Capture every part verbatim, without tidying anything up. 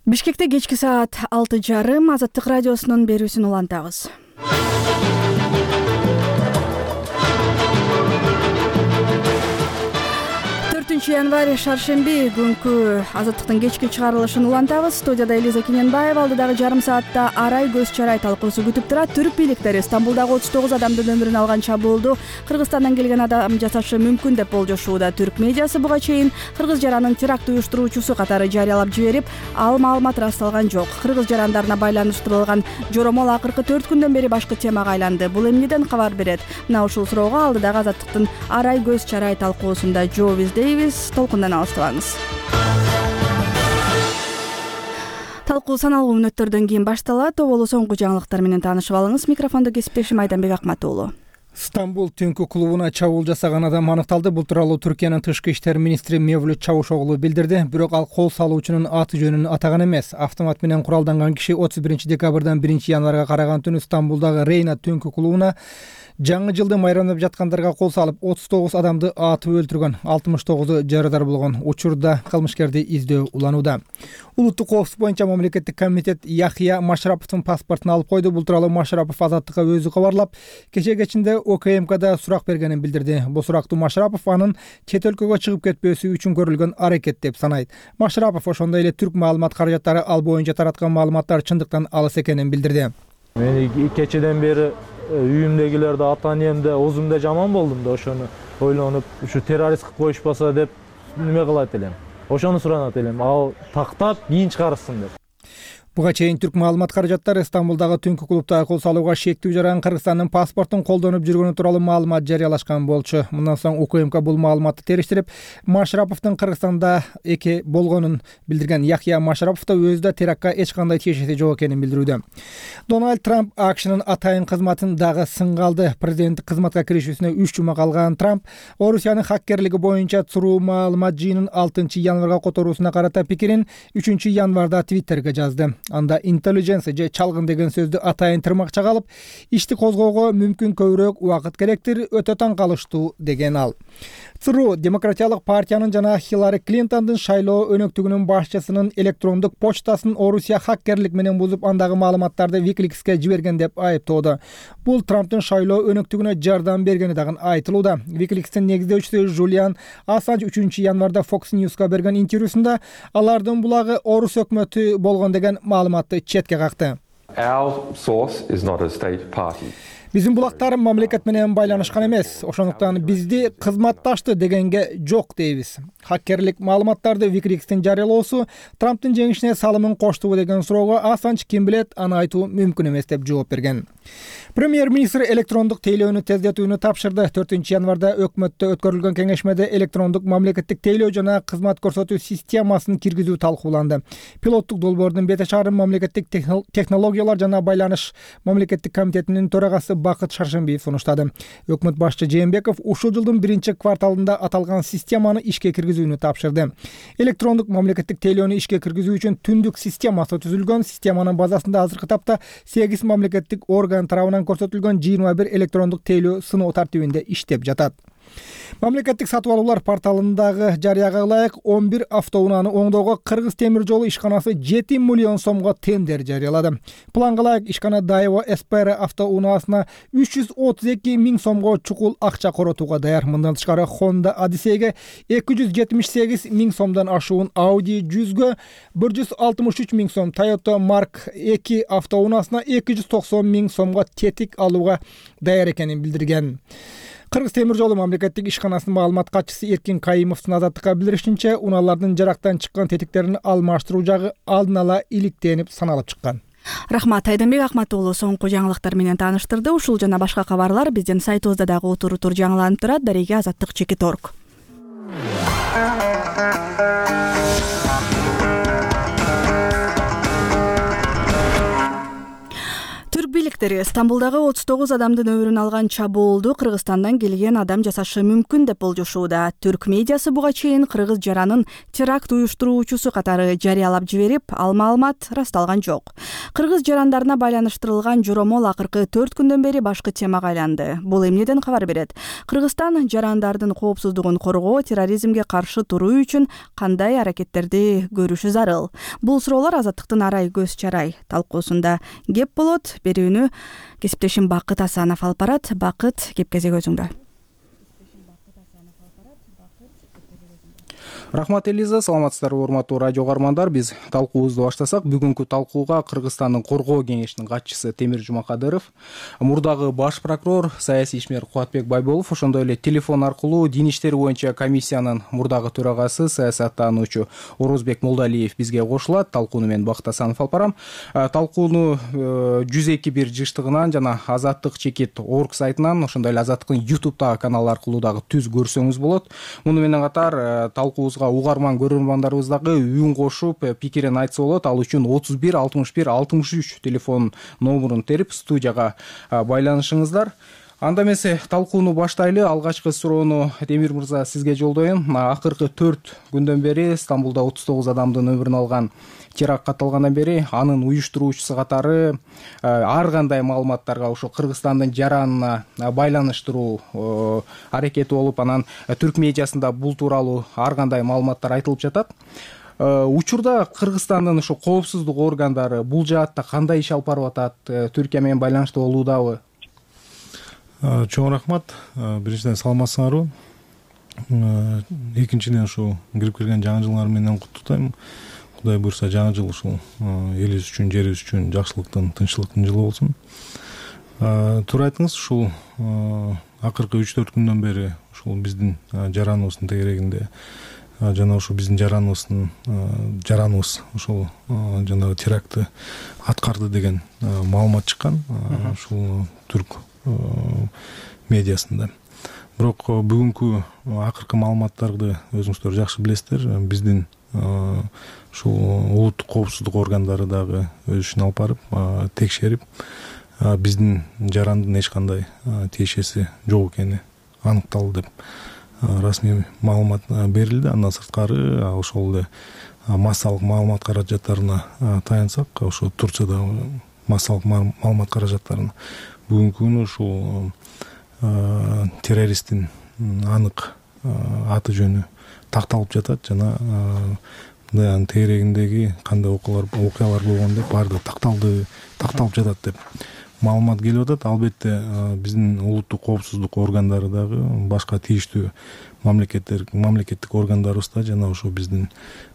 Бишкекте кечки саат алты жарым Азаттык радиосунун берүүсүн улантабыз. төртүнчү январь шаршемби күнкү Азаттыктын кечки чыгарылышын улантабыз. Студияда Элиза Кененбаева, алдыдагы жарым саатта арай көз чарай талкуусу күтүп турат. Түрк бийликтери Стамбулдагы отуз тогуз адамдын өмүрүн алган чабуулду Кыргызстандан келген адам жасашы мүмкүн деп болжошууда. Түрк медиасы буга чейин кыргыз жаранын теракт уюштуруучусу катары жарыялап жиберип, ал маалымат ырасталган жок. Кыргыз жарандарына байланыштырылган жоромол акыркы төрт күндөн бери башкы темага айланды. Бул эмнеден кабар берет? Мына ушул суроого алдыдагы Азаттыктын арай көз чарай талкуусунда Джовис Дейвис толкундан алыстабаңыз. Талкуу саналуу мүнөттөрдөн кийин башталат. Оболу соңку жаңылыктар менен таанышып алыңыз. Микрофондо кесиптешим Айданбек Акматуулу. Стамбул түнкү клубуна чабуул жасаган адам аныкталды. Бул тууралуу Түркиянын тышкы иштер министри Мевлют Чавушоглу билдирди. Бирок ал кол салуучунун аты жөнүн атаган эмес. Автомат менен куралданган киши отуз биринчи декабрдан биринчи январга караган түнү Стамбулдагы Рейна түнкү клубуна жаңы жылды майрамдап жаткандарга кол салып, отуз тогуз адамды атып өлтүргөн, алтымыш тогузу жарадар болгон. Учурда кылмышкерди издөө уланууда. Улуттук коопсуздук боюнча мамлекеттик комитет Яхия Машраповдун паспортун алып койду. Бул тууралуу Машрапов Азаттыкка өзү кабарлап, кече кечинде О К М Кда сурак бергенин билдирди. Бул сурактуу Машрапов анын чет өлкөгө чыгып кетпөөсү үчүн көрүлгөн аракет деп санайт. Машрапов ошондой эле түрк маалымат каражаттары ал боюнча тараткан маалыматтар чындыктан алыс экенин билдирди. Мен кечеден бери үйүмдөгүлөрдө ата энемде озумда жаман болдум да, ошону ойлонуп, ушу террорист кылып коюшпаса деп неме кылат элем. Ошону суранат элем, ал тактап кийин чыгарышсын деп. Буга чейин түрк маалымат каражаттары Стамбулдагы түнкү клубда кол салууга шектүү жаран Кыргызстандын паспортун колдонуп жүргөнү тууралуу маалымат жарыялашкан болчу. Мындан соң О К М К бул маалыматты териштирип, Машраповдун Кыргызстанда эки болгонун билдирген. Яхия Машрапов да өзү да терактка эч кандай тиешеси жок экенин билдирүүдө. Дональд Трамп АКШнын атайын кызматын дагы сынга алды. Президенттик кызматка киришүүсүнө үч жума калган Трамп Орусиянын хаккерлиги боюнча цуруу маалымат жыйынын алтынчы январга которуусуна карата пикирин үчүнчү январда Твиттерге жазды. Анда intelligence же чалгын деген сөздү атайын тырмакча калып, ишти козгоого мүмкүн көбүрөөк убакыт керектир, өтө таң калыштуу деген ал. ЦРУ Демократиялык партиянын жана Хиллари Клинтондун шайлоо өнөктүгүнүн башчысынын электрондук почтасын Орусия хаккерлик менен бузуп, андагы маалыматтарды Wikileaks'ке жиберген деп айыптоодо. Бул Трамптын шайлоо өнөктүгүнө жардам бергени дагы айтылууда. Wikileaks'тин негиздөөчүсү Жулиан Ассанж үчүнчү январда Fox News'ка берген интервьюсунда алардын булагы орус өкмөтү болгон деген маалыматты четке какты. Our source is not a state party. Биздин булактар мамлекет менен байланышкан эмес, ошондуктан бизди кызматташты дегенге жок дейбиз. Хаккерлик маалыматтарды Wikileaks'тин жарыялоосу Трамптын жеңишине салымын коштубу деген суроого Ассанж ким билет, аны айтуу мүмкүн эмес деп жооп берген. Премьер-министр электрондук тейлөөнү тездетүүнү тапшырды. төртүнчү январда өкмөттө өткөрүлгөн кеңешмеде электрондук мамлекеттик тейлөө жана кызмат көрсөтүү системасын киргизүү талкууланды. Пилоттук долбоордун бете чыгарым мамлекеттик технологиялар жана байланыш мамлекеттик комитетинин төрагасы Бакыт Шаршембиев сунуштады. Өкмөт башчы Жээнбеков ушул жылдын биринчи кварталында аталган системаны ишке киргизүүнү тапшырды. Электрондук мамлекеттик тейлөөнү ишке киргизүү үчүн түндүк системасы түзүлгөн. Системанын базасында азыркы тапта сегиз мамлекеттик орган тарабынан көрсөтүлгөн жыйырма бир электрондук тейлөө сыноо тартибинде иштеп жатат. Мамлекеттик сатып алуулар порталындагы жарыяга ылайык он бир автоунааны оңдоого Кыргыз темир жолу ишканасы жети миллион сомго тендер жарыялады. Планга ылайык ишкана Дайво Эспера автоунаасына үч жүз отуз эки миң сомго чукул акча коротууга даяр. Мындан тышкары Honda Odyssey'ге эки жүз жетимиш сегиз миң сомдон ашуун, Audi жүзгө бир жүз алтымыш үч миң сом, Toyota Mark эки автоунаасына эки жүз токсон миң сомго тетик алууга даяр экенин билдирген. Кыргыз темир жолу мамлекеттик ишканасынын маалымат катчысы Эркин Кайымовдун Азаттыкка билдиришинче, унаалардын жарактан чыккан тетиктерин алмаштыруу жагы алдын ала иликтенип саналып чыккан. Рахмат, Айданбек Акматуулу соңку жаңылыктар менен тааныштырды. Ушул жана башка кабарлар биздин сайтыбызда дагы утур утур жаңыланып турат. Дареге Азаттык чекит точка орг. бийликтери Стамбулдагы отуз тогуз адамдын өмүрүн алган чабуулду Кыргызстандан келген адам жасашы мүмкүн деп болжошууда. Түрк медиасы буга чейин кыргыз жаранын теракт уюштуруучусу катары жарыялап жиберип, ал маалымат расталган жок. Кыргыз жарандарына байланыштырылган жоромол акыркы төрт күндөн бери башкы темага айланды. Бул эмнеден кабар берет? Кыргызстан жарандардын коопсуздугун коргоо, терроризмге каршы туруу үчүн кандай аракеттерди көрүшү зарыл? Бул суроолор Азаттыктын Арай көз чарай талкуусунда кеп болот. Берүүнү кесиптешим Бакыт Асанов алып барат. Бакыт, кеп кезек өзүңдө. Рахмат Элиза, саламатсыздарбы урматтуу радио каармандар. Биз талкуубузду баштасак, бүгүнкү талкууга Кыргызстандын коргоо кеңешинин катчысы Темир Жумакадыров, мурдагы баш прокурор, саясий ишмер Кубатбек Байболов, ошондой эле телефон аркылуу Дин иштери боюнча комиссиянын мурдагы төрагасы, саясаттануучу Орозбек Молдалиев бизге кошулат. Талкууну мен Бакыт Асанов алып барам. Талкууну жүз эки бир жыштыгынан жана Азаттык чекит орг сайтынан, ошондой эле Азаттыктын ютубтагы каналы аркылуу дагы түз көрсөңүз болот. Муну менен катар талкуубузга угарман көрөрмандарыбыз дагы үн кошуп, пикирин айтса болот. Ал үчүн отуз бир алтымыш бир алтымыш үч телефон номурун терип студияга байланышыңыздар. Анда эмесе талкууну баштайлы. Алгачкы суроону Темир мырза сизге жолдойм. Акыркы төрт күндөн бери Стамбулда отуз тогуз адамдын өмүрүн алган теракт катталгандан бери анын уюштуруучусу катары ар кандай маалыматтарга ошо Кыргызстандын жаранына байланыштыруу аракети болуп, анан түрк медиасында бул тууралуу ар кандай маалыматтар айтылып жатат. Учурда Кыргызстандын ошо коопсуздук органдары бул жаатта кандай иш алып барып атат? Түркия менен байланышта болуудабы? Чоң рахмат. Биринчиден саламатсыңарбы? Экинчиден ушул кирип келген жаңы жылыңар менен куттуктайм. Кудай буйрса жаңы жыл ушул элибиз үчүн, жерибиз үчүн жакшылыктын, тынччылыктын жылы болсун. Туура айттыңыз, ушул акыркы үч төрт күндөн бери ушул биздин жараныбыздын тегерегинде жана ушул биздин жараныбыздын жараныбыз ушул жанагы терактты аткарды деген маалымат чыккан ушул түрк медиасында. Бирок бүгүнкү акыркы маалыматтарды өзүңүздөр жакшы билесиздер. Биздин ушул улуттук коопсуздук органдары дагы өз ишин алып барып, текшерип, биздин жарандын эч кандай тиешеси жок экени аныкталды деп расмий маалымат берилди. Андан сырткары ошол эле массалык маалымат каражаттарына таянсак, ошо Турциядагы массалык маалымат каражаттарына бүгүнкү күнү ушул террористтин анык аты жөнү такталып жатат жана анын тегерегиндеги кандай окуялар болгон деп баардыгы такталды, такталып жатат деп маалымат келип атат. Албетте биздин улуттук коопсуздук органдары дагы башка тийиштүү мамлекеттер, мамлекеттик органдарыбызда жана ошо биздин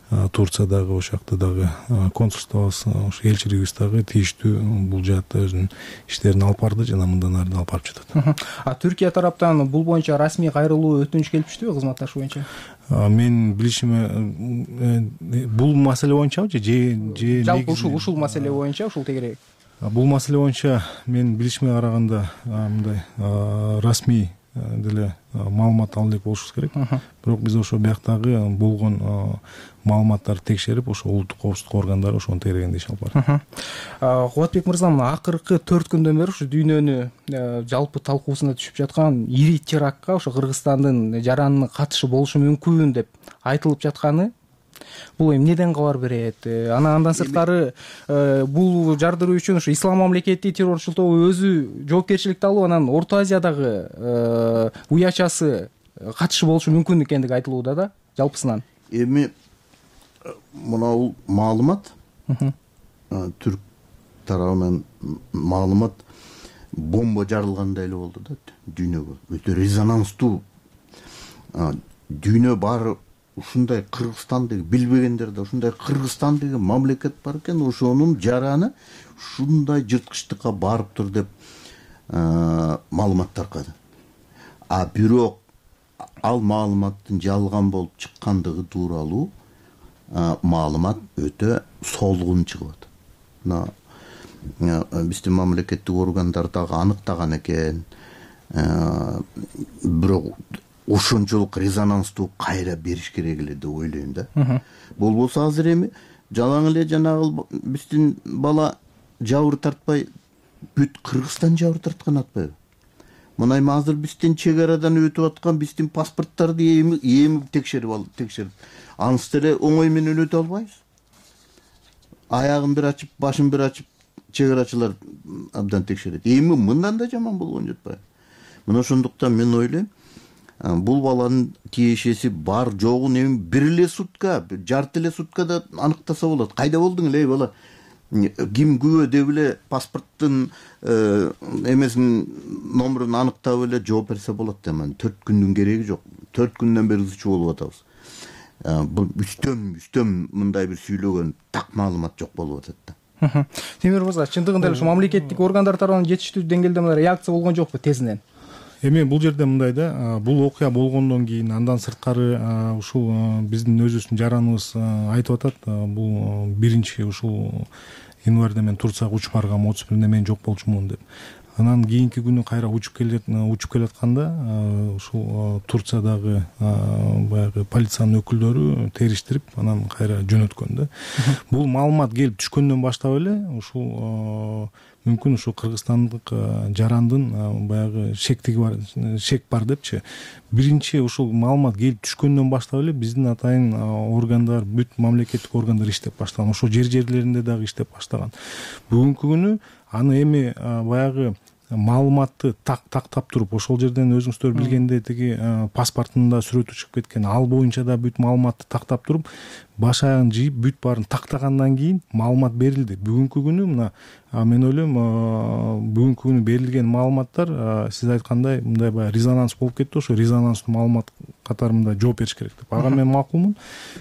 Турциядагы, ошол жакта дагы консулствобуз, ошо элчилигибиз дагы тийиштүү бул жаатта өзүнүн иштерин алып барды жана мындан ары да алып барып жатат. А Түркия тараптан бул боюнча расмий кайрылуу өтүнүч келипчүбү кызматташы боюнча? Мен билишиме бул маселе боюнчабы же же жалпы ушул ушул маселе боюнча, ушул тегерек? Бул маселе боюнча мен билишиме караганда мындай расмий деле маалымат алып элек болушубуз керек. Бирок биз ошо бияктагы болгон маалыматтарды текшерип, ошо улуттук коопсуздук органдары ошонун тегерегинде иш алып барат. Кубатбек мырза, мына акыркы төрт күндөн бери ушу дүйнөнү жалпы талкуусуна түшүп жаткан ири терактка ошо Кыргызстандын жаранынын катышы болушу мүмкүн деп айтылып жатканы, бул эмнеден кабар берет? Анан андан сырткары бул жардыруу үчүн ушу Ислам мамлекети террорчул тобу өзү жоопкерчиликти алуу, анан Орто Азиядагы уячасы катышы болушу мүмкүн экендиги айтылууда да, жалпысынан. Эми мына маалымат түрк тарабынан маалымат бомба жарылгандай эле болду да дүйнөгө. Өтө резонанстуу. Дүйнө баары ушундай Кыргызстан деген билбегендер да ушундай Кыргызстан деген мамлекет бар экен, ошонун жараны ушундай жырткычтыкка барыптыр деп маалымат таркады. А бирок ал маалыматтын жалган болуп чыккандыгы тууралуу маалымат өтө солгун чыгып атат. Мына биздин мамлекеттик органдар дагы аныктаган экен. Бирок ошончолук резонанстуу кайра бериш керек эле деп ойлойм да. Болбосо азыр эми жалаң эле жанагы биздин бала жабыр тартпай бүт Кыргызстан жабыр тарткан атпайбы? Мына эми азыр биздин чек арадан өтүп аткан биздин паспорттарды эми эми текшерип ал текшерип анысы деле оңой менен өтө албайбыз. Аягын бир ачып, башын бир ачып, чек арачылар абдан текшерет. Эми мындан да жаман болгон жатпайбы? Мына ошондуктан мен ойлойм, бул баланын тиешеси бар жогун эми бир эле сутка, жарты эле суткада аныктаса болот. Кайда болдуң эле бала? Ким күбө деп эле паспорттун эмесин номерун аныктап эле жооп берсе болот да. төрт күндүн кереги жок. төрт күндөн бери ызчуу болуп атабыз. Бул үстөм үстөм мындай бир сүйлөгөн так маалымат жок болуп атат да. Темир мырза, чындыгында эле ушу мамлекеттик органдар тарабынан жетиштүү деңгээлде мындай реакция болгон жокпу тезинен? Эми бул жерде мындай да, бул окуя болгондон кийин андан сырткары ушул биздин өзүбүздүн жараныбыз айтып атат, бул биринчи ушул январда мен Турцияга учуп баргам, отуз биринде мен жок болчумун деп. Анан кийинки күнү кайра учуп келет учуп келатканда ушул Турциядагы баягы полициянын өкүлдөрү териштирип, анан кайра жөнөткөн да. Бул маалымат келип түшкөндөн баштап эле ушул мүмкүн ушу кыргызстандык жарандын баягы шектиги бар, шек бар депчи. Биринчи ушул маалымат келип түшкөндөн баштап эле биздин атайын органдар, бүт мамлекеттик органдар иштеп баштаган. Ошо жер жерлеринде дагы иштеп баштаган. Бүгүнкү күнү аны эми баягы маалыматты так тактап туруп, ошол жерден өзүңүздөр билгендей тиги паспортунда сүрөтү чыгып кеткен, ал боюнча да бүт маалыматты тактап туруп, баш аягын жыйып, бүт баарын тактагандан кийин маалымат берилди. Бүгүнкү күнү мына мен ойлойм, бүгүнкү күнү берилген маалыматтар сиз айткандай мындай баягы резонанс болуп кетти, ошо резонанстуу маалымат катарында жооп бериш керек деп. Ага мен макулмун.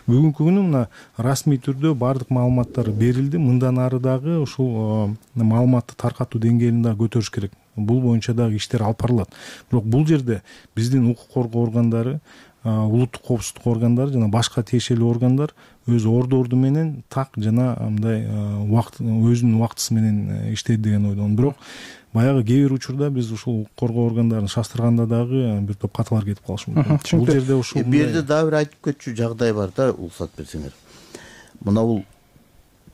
Бүгүнкү күнү мына расмий түрдө баардык маалыматтар берилди. Мындан ары дагы ушул маалыматты таркатуу деңгээлин дагы көтөрүш керек. Бул боюнча дагы иштер алып барылат. Бирок бул жерде биздин укук коргоо органдары, улуттук коопсуздук органдары жана башка тиешелүү органдар өз ордорду менен так жана мындай убакыт өзүнүн убактысы менен иштейт деген ойдомун. Бирок баягы кээ бир учурда биз ушул укук коргоо органдарын шаштырганда дагы бир топ каталар кетип калышы мүмкүн. Бул жерде ушул бу жерде дагы бир айтып кетчү жагдай бар да, уруксат берсеңер. Мына бул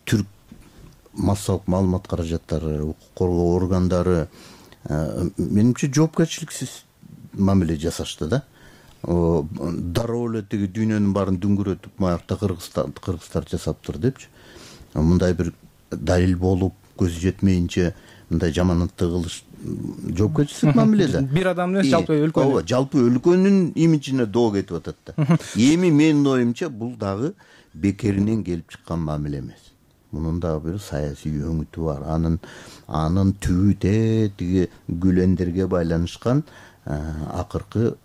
түрк массалык маалымат каражаттары, укук коргоо органдары менимче жоопкерчиликсиз мамиле жасашты да. Дароо эле тиги дүйнөнүн баарын дүңгүрөтүп, маякта Кыргызстан кыргыздар жасаптыр депчи. Мындай бир далил болуп, көзү жетмейинче мындай жаманатты кылыш жоопкерчиликсиз мамиле да. Бир адамдын эмес, жалпы өлкөнүн. Ооба, жалпы өлкөнүн имиджине доо кетип атат да. Эми менин оюмча бул дагы бекеринен келип чыккан мамиле эмес. Мунун дагы бир саясий өңүтү бар. Анын анын түбү те тиги гүлендерге байланышкан акыркы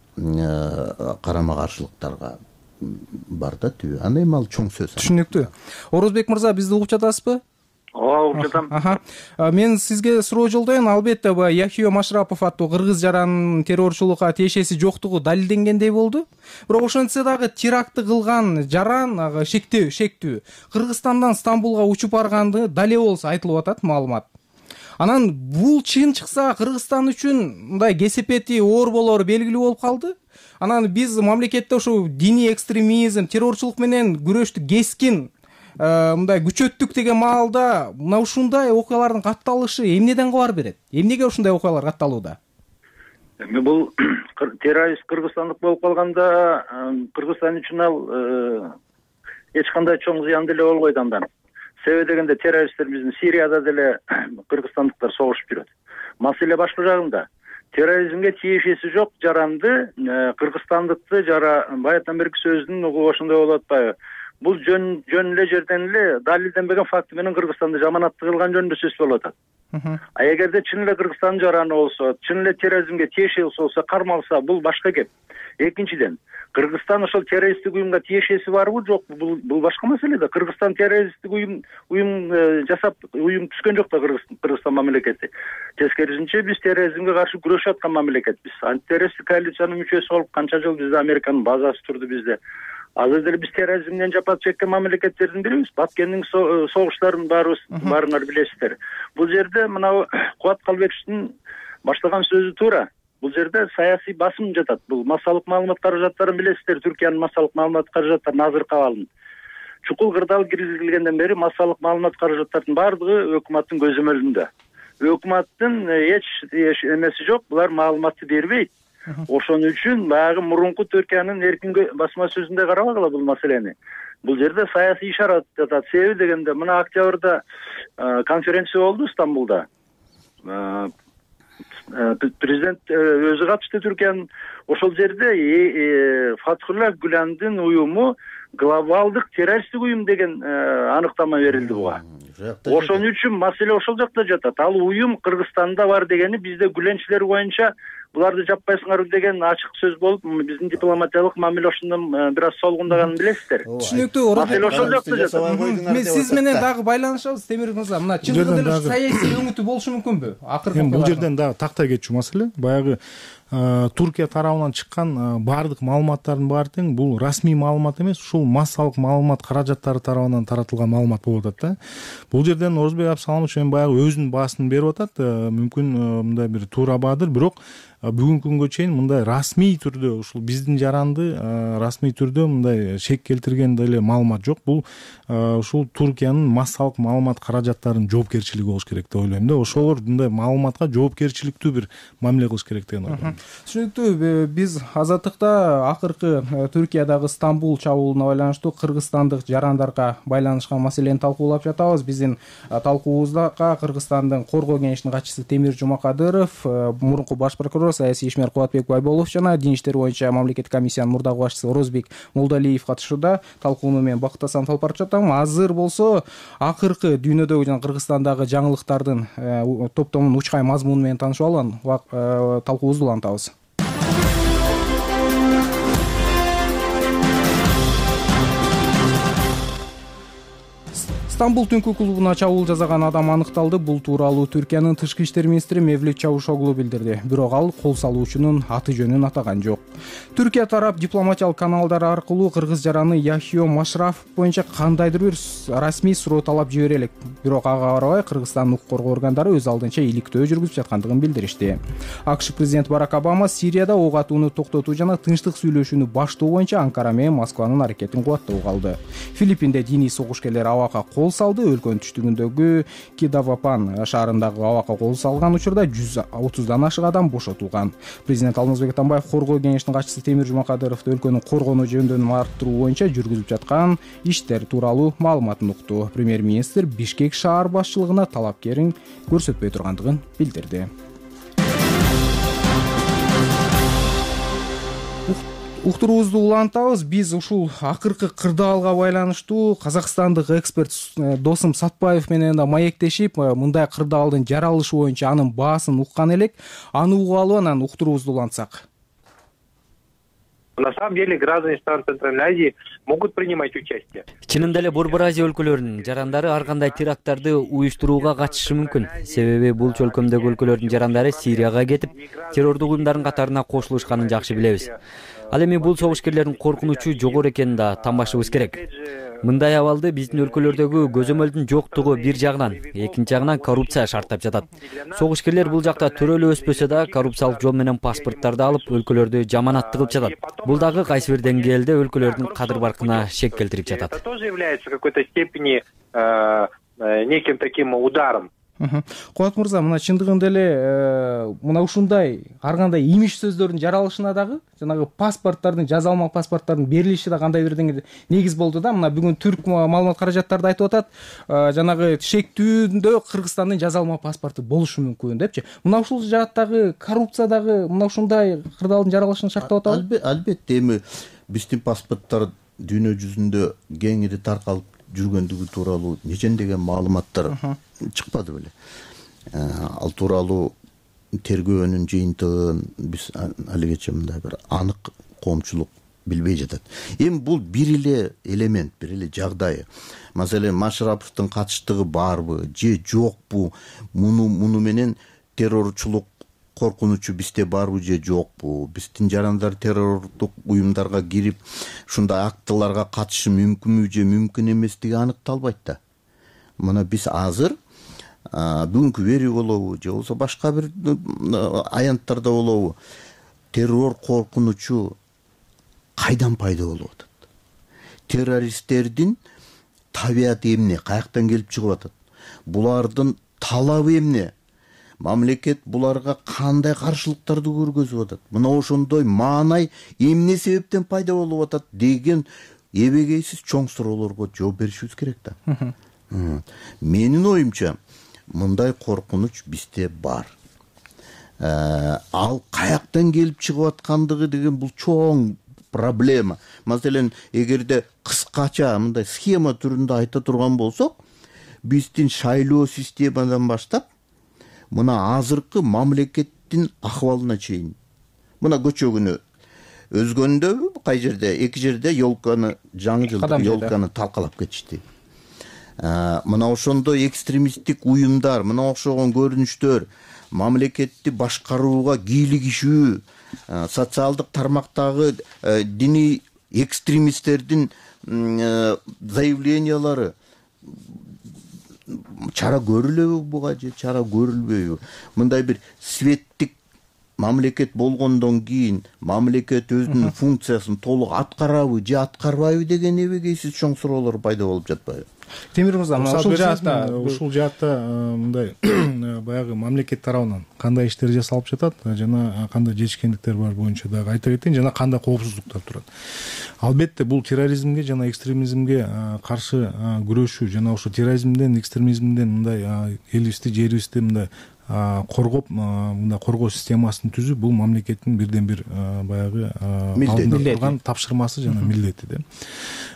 карама каршылыктарга бар да түбү. Аны эми ал чоң сөз. Түшүнүктүү. Орозбек мырза, бизди угуп жатасызбы? Ооба, угуп жатам. Аха. Мен сизге суроо жолдойм. Албетте, бу Яхио Машрапов аттуу кыргыз жаранын террорчулукка тиешеси жоктугу далилденгендей болду. Бирок ошентсе дагы терактты кылган жаран шектүү, шектүү Кыргызстандан Стамбулга учуп барганды дале болсо айтылып атат маалымат. Анан бул чын чыкса Кыргызстан үчүн мындай кесепети оор болору белгилүү болуп калды. Анан биз мамлекетте ошо диний экстремизм, террорчулук менен күрөштү кескин мындай күчөттүк деген маалда мына ушундай окуялардын катталышы эмнеден кабар берет? Эмнеге ушундай окуялар катталууда? Эми бул террорист кыргызстандык болуп калганда Кыргызстан үчүн ал эч кандай чоң зыян деле болбойт андан. Себеби дегенде террористтер биздин Сирияда деле кыргызстандыктар согушуп жүрөт. Маселе башка жагында. Терроризмге тиешеси жок жаранды кыргызстандыкты жара баягыдан берки сөздүн угуп ошондой болуп атпайбы? Бул жөн жөн эле жерден эле далилденбеген факт менен Кыргызстанды жаманатты кылган жөнүндө сөз болуп атат. А эгерде чын эле Кыргызстандын жараны болсо, чын эле терроризмге тиешеси болсо, кармалса, бул башка кеп. Экинчиден, Кыргызстан ошол террористтик уюмга тиешеси барбы, жокпу? Бул бул башка маселе да. Кыргызстан террористтик уюм уюм жасап, уюм түзгөн жок да Кыргызстан мамлекети. Тескерисинче биз терроризмге каршы күрөшүп аткан мамлекетпиз. Антитеррористтик коалициянын мүчөсү болуп канча жыл бизде Американын базасы турду бизде. Азыр деле биз терроризмден жапа чеккен мамлекеттердин бирибиз. Баткендин согуштарын баарыбыз баарыңар билесиздер. Бул жерде мына Кубат Калбековичтин баштаган сөзү туура. Бул жерде саясий басым жатат. Бул массалык маалымат каражаттарын билесиздер, Түркиянын массалык маалымат каражаттарын азыр кабалын. Чукул кырдаал киргизилгенден бери массалык маалымат каражаттарынын баардыгы өкмөттүн көзөмөлүндө. өкмөттүн эч эмеси жок, булар маалыматты бербейт. Ошон үчүн баягы мурунку Түркиянын эркин басма сөзүндө карабагыла бул маселени. Бул жерде саясий ишарат жатат. Себеби дегенде мына октябрда конференция болду Стамбулда. Президент өзү катышты Түркиянын. Ошол жерде Фатхулла Гүландын уюму глобалдык террористтик уюм деген аныктама берилди буга. Ошон үчүн маселе ошол жакта жатат. Ал уюм Кыргызстанда бар дегени бизде Гүленчилер боюнча буларды жаппай сыңаруу деген ачык сөз болуп, биздин дипломатиялык мамиле ошондон бир аз солгундаганын билесиздер. Түшүнүктүү. Маселе ошол жакта жатат. Мен сиз менен дагы байланышабыз, Темир мырза. Мына чындыгында эле саясий өңүтү болушу мүмкүнбү? Акыркы бул жерден дагы тактай кетчү маселе. Баягы Туркия тарабынан чыккан баардык маалыматтардын баары тең бул расмий маалымат эмес, ушул массалык маалымат каражаттары тарабынан таратылган маалымат болуп атат да. Бул жерден Орозбек Абсаломович эми баягы өзүнүн баасын берип атат. Мүмкүн мындай бир туура баадыр, бирок бүгүнкү күнгө чейин мындай расмий түрдө ушул биздин жаранды расмий түрдө мындай шек келтирген деле маалымат жок. Бул ушул Туркиянын массалык маалымат каражаттарынын жоопкерчилиги болуш керек деп ойлойм да. Ошолор мындай маалыматка жоопкерчиликтүү бир мамиле кылыш керек деген ойлойм. Түшүнүктүү. Биз Азаттыкта акыркы Түркиядагы Стамбул чабуулуна байланыштуу кыргызстандык жарандарга байланышкан маселени талкуулап жатабыз. Биздин талкуубузда Кыргызстандын Коргоо кеңешинин катчысы Темир Жумакадыров, мурунку баш прокурор саясий ишмер Кубатбек Байболов жана дин иштери боюнча мамлекеттик комиссиянын мурдагы башчысы Орозбек Молдалиев катышууда. Талкууну мен Бакыт Асанов алып барып жатам. Азыр болсо акыркы дүйнөдөгү жана Кыргызстандагы жаңылыктардын топтомунун учкай мазмуну менен таанышып алып талкуубузду улантабыз. Стамбул түнкү клубуна чабуул жасаган адам аныкталды. Бул тууралуу Түркиянын тышкы иштер министри Мевлют Чавушоглу билдирди. Бирок ал кол салуучунун аты жөнүн атаган жок. Түркия тарап дипломатиялык каналдар аркылуу кыргыз жараны Яхио Машрафов боюнча кандайдыр бир расмий суроо талап жибере элек. Бирок ага карабай Кыргызстандын укук коргоо органдары өз алдынча иликтөө жүргүзүп жаткандыгын билдиришти. АКШ президенти Барак Обама Сирияда ок атууну токтотуу жана тынчтык сүйлөшүүнү баштоо боюнча Анкара менен Москванын аракетин кубаттап калды. Филиппинде диний согушкерлер абакка кол салды. Өлкөнүн түштүгүндөгү Кидавапан шаарындагы абакка кол салган учурда жүз отуздан ашык адам бошотулган. Президент Алмазбек Атамбаев Коргоо кеңешинин катчысы Темир Жумакадыровду өлкөнү коргонуу жөндөмүн арттыруу боюнча жүргүзүп жаткан иштер тууралуу маалыматын укту. Премьер-министр Бишкек шаар башчылыгына талапкерин көрсөтпөй тургандыгын билдирди. Уктуруубузду улантабыз. Биз ушул акыркы кырдаалга байланыштуу казакстандык эксперт Досум Сатпаев менен да маектешип, мындай кырдаалдын жаралышы боюнча анын баасын уккан элек. Аны угуп алып анан уктуруубузду улантсак. На самом деле граждане стран Центральной Азии могут принимать участие. Чынында эле Борбор Азия өлкөлөрүнүн жарандары ар кандай теракттарды уюштурууга катышышы мүмкүн. Себеби бул чөлкөмдөгү өлкөлөрдүн жарандары Сирияга кетип, террордук уюмдардын катарына кошулушканын жакшы билебиз. Ал эми бул согушкерлердин коркунучу жогору экенин да танбашыбыз керек. Мындай абалды биздин өлкөлөрдөгү көзөмөлдүн жоктугу бир жагынан, экинчи жагынан коррупция шарттап жатат. Согушкерлер бул жакта төрөлүп өспөсө да коррупциялык жол менен паспорттарды алып өлкөлөрдү жаманатты кылып жатат. Бул дагы кайсы бир деңгээлде өлкөлөрдүн кадыр-баркына шек келтирип жатат. Это тоже является в какой-то степени неким таким ударом. Кубат мырза, мына чындыгында эле мына ушундай ар кандай имиш сөздөрдүн жаралышына дагы жанагы паспорттардын, жаза алмак паспорттардын берилиши да кандай бир деңгээлде негиз болду да. Мына бүгүн түрк маалымат каражаттары айтып атат, жанагы шектүүндө Кыргызстандын жаза алмак паспорту болушу мүмкүн депчи. Мына ушул жааттагы коррупция дагы мына ушундай кырдаалдын жаралышын шарттап атабы? Албетте, эми биздин паспорттор дүйнө жүзүндө кеңири таркалып жүргөндүгү тууралуу нечендеген маалыматтар чыкпады беле. Ал тууралуу тергөөнүн жыйынтыгын биз алигече мындай бир анык коомчулук билбей жатат. Эми бул бир эле элемент, бир эле жагдай. Маселен, Машраповдун катыштыгы барбы же жокпу? Муну муну менен террорчулук коркунучу бизде барбы же жокпу? Биздин жарандар террордук уюмдарга кирип, ушундай актыларга катышы мүмкүнбү же мүмкүн эместиги аныкталбайт да. Мына биз азыр бүгүнкү вери болобу же болбосо башка бир аянттарда болобу, террор коркунучу кайдан пайда болуп атат? Террористтердин табияты эмне? Каяктан келип чыгып атат? Булардын талабы эмне? мамлекет буларга кандай каршылыктарды көргөзүп атат, мына ошондой маанай эмне себептен пайда болуп атат деген эбегейсиз чоң суроолорго жооп беришибиз керек да. Менин оюмча мындай коркунуч бизде бар. Ал каяктан келип чыгып аткандыгы деген бул чоң проблема. Маселен, эгерде кыскача мындай схема түрүндө айта турган болсок, биздин шайлоо системадан баштап мына азыркы мамлекеттин акыбалына чейин. Мына көчө күнү өзгөндө кай жерде эки жерде ёлканы, жаңы жылдык ёлканы талкалап кетишти. Мына ошондой экстремисттик уюмдар, мына окшогон көрүнүштөр мамлекетти башкарууга кийлигишүү, социалдык тармактагы диний экстремисттердин заявлениялары чара көрүлөбү буга же чара көрүлбөйбү? Мындай бир светтик мамлекет болгондон кийин мамлекет өзүнүн функциясын толук аткарабы же аткарбайбы деген эбегейсиз чоң суроолор пайда болуп жатпайбы? Темир мырза, ушул жаатта ушул жаатта мындай баягы мамлекет тарабынан кандай иштер жасалып жатат жана кандай жетишкендиктер бар боюнча дагы айта кетейин, жана кандай коопсуздуктар турат. Албетте бул терроризмге жана экстремизмге каршы күрөшүү жана ошо терроризмден, экстремизмден мындай элибизди, жерибизди мындай коргоп, мындай коргоо системасын түзүү бул мамлекеттин бирден бир баягы алдында турган тапшырмасы жана милдети да.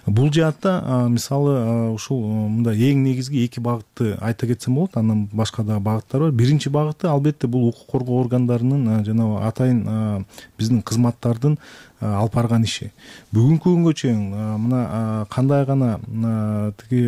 Бул жаатта мисалы ушул мындай эң негизги эки багытты айта кетсем болот, андан башка да багыттар бар. Биринчи багыты албетте бул укук коргоо органдарынын жана атайын биздин кызматтардын алып барган иши. Бүгүнкү күнгө чейин мына кандай гана тиги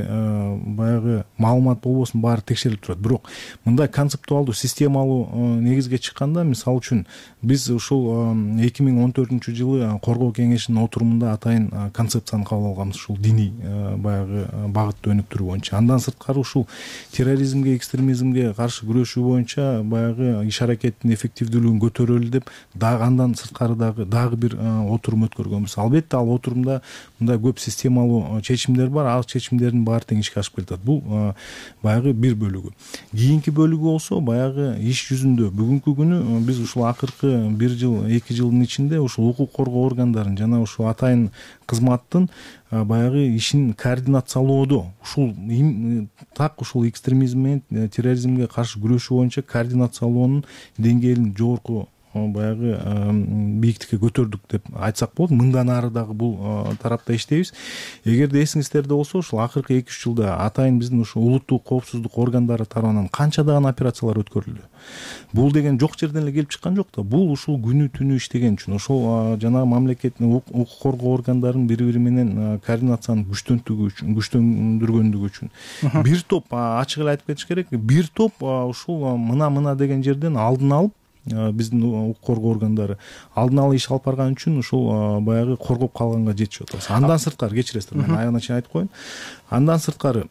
баягы маалымат болбосун баары текшерилип турат. Бирок мындай концептуалдуу, системалуу негизге чыкканда, мисалы үчүн биз ушул эки миң он төртүнчү жылы коргоо кеңешинин отурумунда атайын концепцияны кабыл алганбыз, ушул диний баягы багытты өнүктүрүү боюнча. Андан сырткары ушул терроризмге, экстремизмге каршы күрөшүү боюнча баягы иш аракеттин эффективдүүлүгүн көтөрөлү деп дагы андан сырткары дагы дагы бир отурум өткөргөнбүз. Албетте ал отурумда мындай көп системалуу чечимдер бар, ал чечимдердин баары тең ишке ашып келатат. Бул баягы бир бөлүгү. Кийинки бөлүгү болсо баягы иш жүзүндө бүгүнкү күнү биз ушул акыркы бир жыл, эки жылдын ичинде ушул укук коргоо органдарын жана ушул атайын кызматтын баягы ишин координациялоодо ушул так ушул экстремизм менен терроризмге каршы күрөшүү боюнча координациялоонун деңгээлин жогорку баягы бийиктикке көтөрдүк деп айтсак болот. Мындан ары дагы бул тарапта иштейбиз. Эгерде эсиңиздерде болсо, ушул акыркы эки үч жылда атайын биздин ушул улуттук коопсуздук органдары тарабынан канчадаган операциялар өткөрүлдү. Бул деген жок жерден эле келип чыккан жок да. Бул ушул күнү түнү иштеген үчүн, ошол жана мамлекеттин укук коргоо органдарынын бири бири менен координацияны күчтөндүгү үчүн, күчтөндүргөндүгү үчүн. Бир топ, ачык эле айтып кетиш керек, бир топ ушул мына-мына деген жерден алдын алып биздин укук коргоо органдары алдын ала иш алып барган үчүн ушул баягы коргоп калганга жетишип атабыз. Андан сырткары кечиресиздер, мен аягына чейин айтып коеюн. Андан сырткары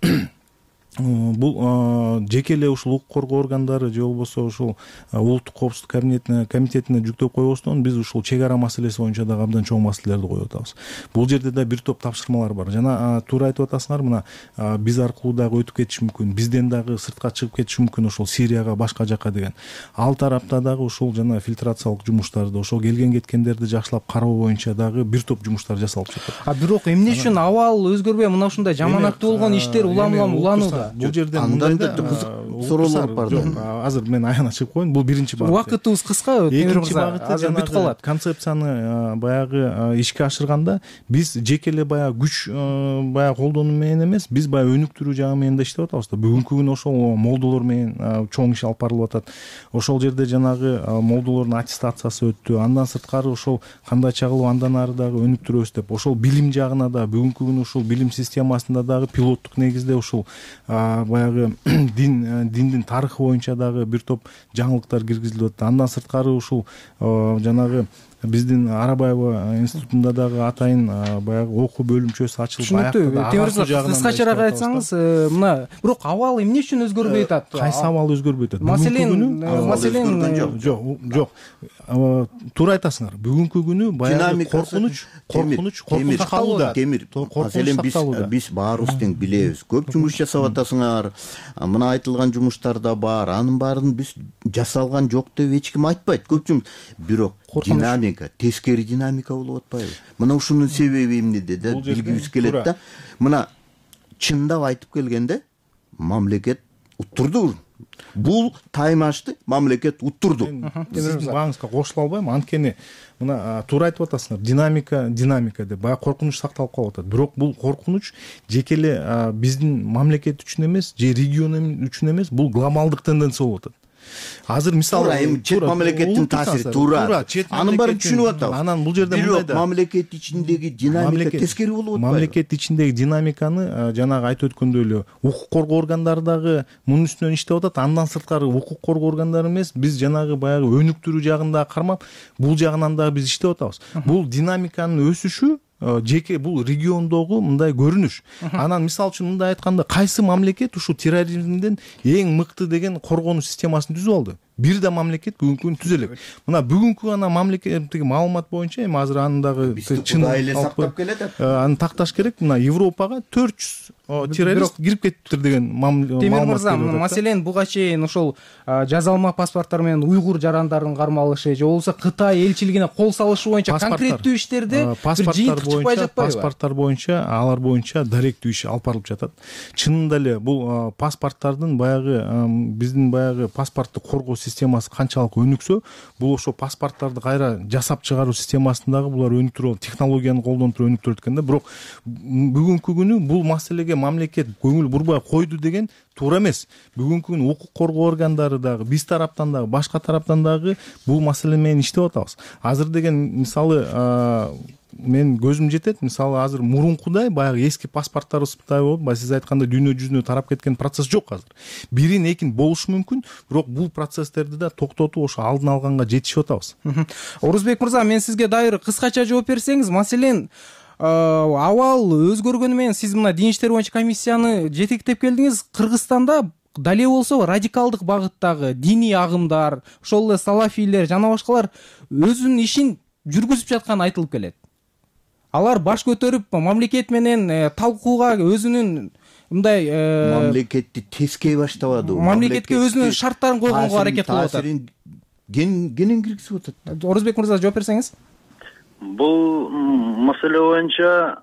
бул жеке эле ушул укук коргоо органдары же болбосо ушул улуттук коопсуздук комитетине комитетине жүктөп койбостон биз ушул чек ара маселеси боюнча дагы абдан чоң маселелерди коюп атабыз. Бул жерде да бир топ тапшырмалар бар. Жана туура айтып атасыңар, мына биз аркылуу дагы өтүп кетиши мүмкүн, бизден дагы сыртка чыгып кетиши мүмкүн ушул Сирияга, башка жака деген. Ал тарапта дагы ушул жана фильтрациялык жумуштарды, ошол келген кеткендерди жакшылап кароо боюнча дагы бир топ жумуштар жасалып жатат. А бирок эмне үчүн абал өзгөрбөй мына ушундай жаманаттуу болгон иштер улам-улам уланууда? Бул жерде андан да кызык суроолор бар да. Азыр мен аягына чыгып коеюн. Бул биринчи багыт. Убакытыбыз кыска, Темир мырза. Азыр бүтүп калат. Концепцияны баягы ишке ашырганда биз жеке эле баягы күч баягы колдонуу менен эмес, биз баягы өнүктүрүү жагы менен да иштеп атабыз да. Бүгүнкү күнү ошол молдолор менен чоң иш алып барылып атат. Ошол жерде жанагы молдолордун аттестациясы өттү. Андан сырткары ошол кандайча кылып андан ары дагы өнүктүрөбүз деп, ошол билим жагына да бүгүнкү күнү ушул билим системасында дагы пилоттук негизде ушул баягы дин диндин тарыхы боюнча дагы бир топ жаңылыктар киргизилип атат. Андан сырткары ушул жанагы биздин Арабаева институтунда дагы атайын баягы окуу бөлүмчөсү ачылып аяктаа. Темир мырза, кыскачараак айтсаңыз, мына бирок абал эмне үчүн өзгөрбөй атат? Кайсы абал өзгөрбөй атат? Маселен, маселен жок, жок. Туура айтасыңар. Бүгүнкү күнү баягы коркунуч, коркунуч, коркунуч калууда. Маселен биз биз баарыбыз тең билебиз. Көп жумуш жасап атат атасыңар, мына айтылган жумуштар да бар, анын баарын биз жасалган жок деп эч ким айтпайт. Көп жумуш, бирок динамика, тескери динамика болуп атпайбы? Мына ушунун себеби эмнеде да билгибиз келет да. Мына чындап айтып келгенде мамлекет уттурду. Бул таймашты мамлекет уттурду. Сиздин бааңызга кошула албайм, анткени мына туура айтып атасыңар, динамика, динамика деп баягы коркунуч сакталып калып атат. Бирок бул коркунуч жеке эле биздин мамлекет үчүн эмес, же регион үчүн эмес, бул глобалдык тенденция болуп атат. Азыр мисалы эми чет мамлекеттин таасири туура. Анын баарын түшүнүп атабыз. Анан бул жерде мындай да. Мамлекет ичиндеги динамика тескери болуп атпайбы? Мамлекет ичиндеги динамиканы жанагы айтып өткөндөй эле укук коргоо органдары дагы мунун үстүнөн иштеп атат. Андан сырткары укук коргоо органдары эмес, биз жанагы баягы өнүктүрүү жагын дагы кармап, бул жагынан дагы биз иштеп атабыз. Бул динамиканын өсүшү жеке бул региондогу мындай көрүнүш. Анан мисалы үчүн мындай айтканда, кайсы мамлекет ушул терроризмден эң мыкты деген коргонуч системасын түзүп алды? Бир да мамлекет бүгүнкү күнү түзө элек. Мына бүгүнкү ана мамлекеттеги маалымат боюнча эми азыр анын дагы чын эле сактап келет. Аны такташ керек. Мына Европага төрт жүз террорист кирип кетиптир деген маалымат. Темир мырза, маселен буга чейин ошол жазалма паспорттор менен уйгур жарандарын кармалышы же болбосо Кытай элчилигине кол салышы боюнча конкреттүү иштерде бир жыйынтык чыкпай жатпайбы? Паспорттор боюнча, алар боюнча даректүү иш алып барылып жатат. Чынында эле бул паспорттардын баягы биздин баягы паспортту коргоо системасы канчалык өнүксө, бул ошо паспорттарды кайра жасап чыгаруу системасындагы булар өнүктүрүп, технологияны колдонуп туруп өнүктүрөт экен да. Бирок бүгүнкү күнү бул маселеге мамлекет көңүл бурбай койду деген туура эмес. Бүгүнкү күнү укук коргоо органдары дагы биз тараптан дагы башка тараптан дагы бул маселе менен иштеп атабыз. Азыр деген мисалы мен көзүм жетет, мисалы азыр мурункудай баягы эски паспорттарыбыздай болуп, баягы сиз айткандай дүйнө жүзүнө тарап кеткен процесс жок азыр. Бирин экин болушу мүмкүн, бирок бул процесстерди да токтотуп ошо алдын алганга жетишип атабыз. Орузбек мырза, мен сизге дайыр кыскача жооп берсеңиз, маселен абал өзгөргөнү менен сиз мына дин иштери боюнча комиссияны жетектеп келдиңиз. Кыргызстанда дале болсо радикалдык багыттагы диний агымдар, ошол эле салафийлер жана башкалар өзүнүн ишин жүргүзүп жатканы айтылып келет. Алар баш көтөрүп мамлекет менен талкууга өзүнүн мындай мамлекетти тескей баштабады. Мамлекетке өзүнүн шарттарын койгонго аракет кылып атат. Кенен киргизип атат. Орузбек мырза, жооп берсеңиз. Бул маселе боюнча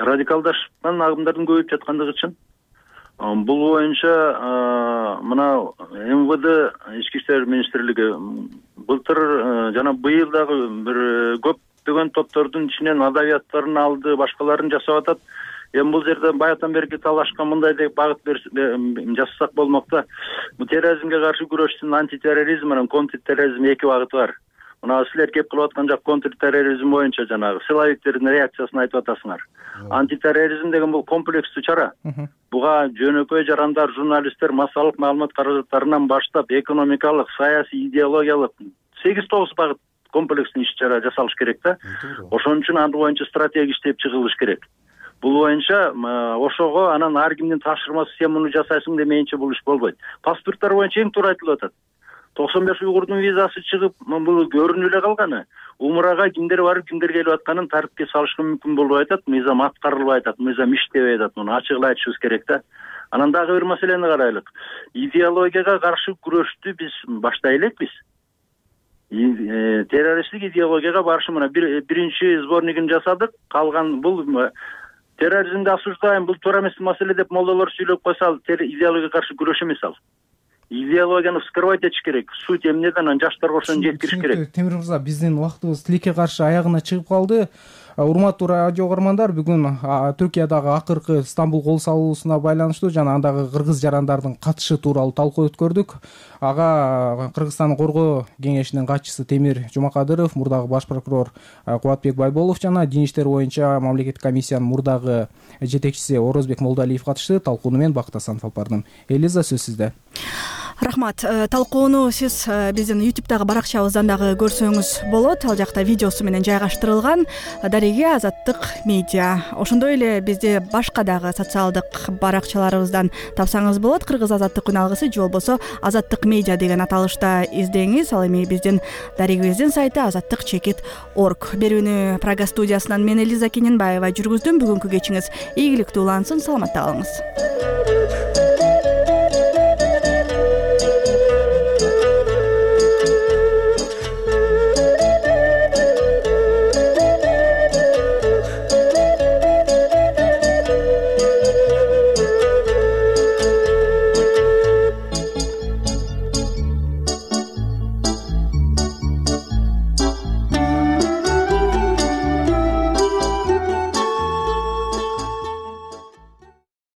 радикалдашкан агымдардын көбөйүп жаткандыгы чын. Бул боюнча мына эм вэ дэ ички иштер министрлиги былтыр жана быйыл дагы бир көптөгөн топтордун ичинен адабияттарын алды, башкаларын жасап атат. Эми бул жерде баягыдан берки талашкан мындай деп багыт жасасак болмок да. Бул терроризмге каршы күрөштүн антитерроризм менен контртерроризм эки багыты бар. Мына силер кеп кылып аткан жак контртерроризм боюнча жанагы силовиктердин реакциясын айтып атасыңар. Антитерроризм деген бул комплекстүү чара. Буга жөнөкөй жарандар, журналисттер массалык маалымат каражаттарынан баштап экономикалык, саясий, идеологиялык сегиз тогуз багыт комплекстүү иш-чара жасалыш керек да. Ошон үчүн аны боюнча стратегия иштеп чыгылыш керек. Бул боюнча ошого анан ар кимдин тапшырмасы сен муну жасайсың демейинче бул иш болбойт. Паспорттор боюнча эң туура айтылып атат. токсон беш уйгурдун визасы чыгып, бул көрүнүп эле калганы. Умрага кимдер барып, кимдер келип атканын тартипке салышка мүмкүн болуп атат. Мыйзам аткарылбай атат, мыйзам иштебей атат. Муну ачык эле айтышыбыз керек да. Анан дагы бир маселени карайлык. Идеологияга каршы күрөштү биз баштай элекпиз. Террористтик идеологияга каршы мына биринчи сборнигин жасадык. Калган бул терроризмди осуждаем, бул туура эмес маселе деп молдолор сүйлөп койсо, идеологияга каршы күрөш эмес ал. Идеологияны вскрывать этиш керек. Суть эмнеден анан жаштарга ошону жеткириш керек. Темир мырза, биздин убактыбыз тилекке каршы аягына чыгып калды. Урматтуу радио угармандар, бүгүн Түркиядагы акыркы Стамбул кол салуусуна байланыштуу жана андагы кыргыз жарандардын катышы тууралуу талкуу өткөрдүк. Ага Кыргызстандын коргоо кеңешинин катчысы Темир Жумакадыров, мурдагы баш прокурор Кубатбек Байболов жана дин иштери боюнча мамлекеттик комиссиянын мурдагы жетекчиси Орозбек Молдоалиев катышты. Талкууну мен Бакыт Асанов алып бардым. Элиза, сөз сизде. Рахмат. Талкууну сиз биздин ютубтагы баракчабыздан дагы көрсөңүз болот. Ал жакта видеосу менен жайгаштырылган. Дареге Азаттык медиа. Ошондой эле бизди башка дагы социалдык баракчаларыбыздан тапсаңыз болот. Кыргыз Азаттык күн алгысы же болбосо Азаттык медиа деген аталышта издеңиз. Ал эми биздин дарегебиздин сайты азаттык чекит орг. Берүүнү Прага студиясынан мен Элиза Кененбаева жүргүздүм. Бүгүнкү кечиңиз ийгиликтүү улансын. Саламатта калыңыз.